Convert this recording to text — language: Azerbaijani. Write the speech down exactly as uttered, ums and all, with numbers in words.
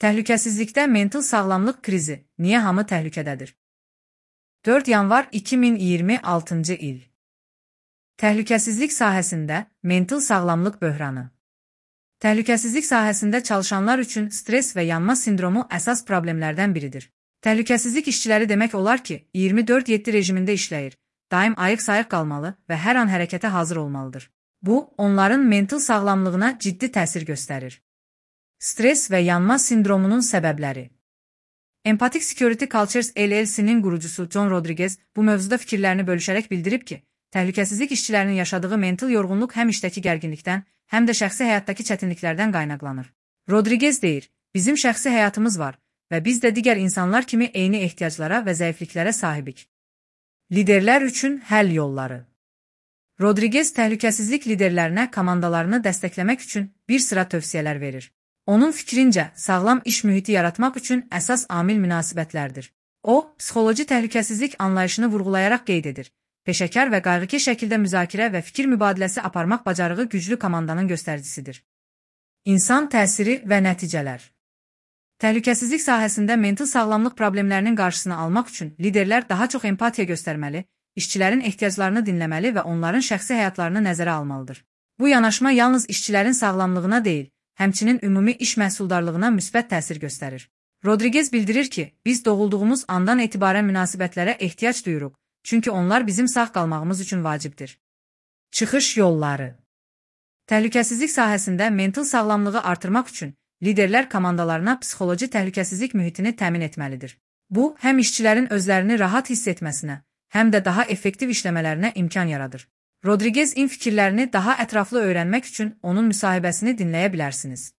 Təhlükəsizlikdə mental sağlamlıq krizi. Niyə hamı təhlükədədir? dörd yanvar iki min iyirmi altıncı il. Təhlükəsizlik sahəsində mental sağlamlıq böhranı. Təhlükəsizlik sahəsində çalışanlar üçün stres və yanma sindromu əsas problemlərdən biridir. Təhlükəsizlik işçiləri demək olar ki, iyirmi dörd yeddi rejimində işləyir, daim ayıq-sayıq qalmalı və hər an hərəkətə hazır olmalıdır. Bu, onların mental sağlamlığına ciddi təsir göstərir. Stres və yanma sindromunun səbəbləri. Empathic Security Cultures L L C-nin qurucusu John Rodriguez bu mövzuda fikirlərini bölüşərək bildirib ki, təhlükəsizlik işçilərinin yaşadığı mental yorğunluq həm işdəki gərginlikdən, həm də şəxsi həyatdakı çətinliklərdən qaynaqlanır. Rodriguez deyir, bizim şəxsi həyatımız var və biz də digər insanlar kimi eyni ehtiyaclara və zəifliklərə sahibik. Liderlər üçün həll yolları. Rodriguez təhlükəsizlik liderlərinə komandalarını dəstəkləmək üçün bir sıra tövsiyələr verir. Onun fikrincə, sağlam iş mühiti yaratmaq üçün əsas amil münasibətlərdir. O, psixoloji təhlükəsizlik anlayışını vurğulayaraq qeyd edir. Peşəkar və qayğıkeş şəkildə müzakirə və fikir mübadiləsi aparmaq bacarığı güclü komandanın göstəricisidir. İnsan təsiri və nəticələr. Təhlükəsizlik sahəsində mental sağlamlıq problemlərinin qarşısını almaq üçün liderlər daha çox empatiya göstərməli, işçilərin ehtiyaclarını dinləməli və onların şəxsi həyatlarını nəzərə almalıdır. Bu yanaşma yalnız işçilərin sağlamlığına deyil, həmçinin ümumi iş məhsuldarlığına müsbət təsir göstərir. Rodriguez bildirir ki, biz doğulduğumuz andan etibarən münasibətlərə ehtiyac duyuruq, çünki onlar bizim sağ qalmağımız üçün vacibdir. Çıxış yolları. Təhlükəsizlik sahəsində mental sağlamlığı artırmaq üçün liderlər komandalarına psixoloji təhlükəsizlik mühitini təmin etməlidir. Bu, həm işçilərin özlərini rahat hiss etməsinə, həm də daha effektiv işləmələrinə imkan yaradır. Rodriguez-in fikirlərini daha ətraflı öyrənmək üçün onun müsahibəsini dinləyə bilərsiniz.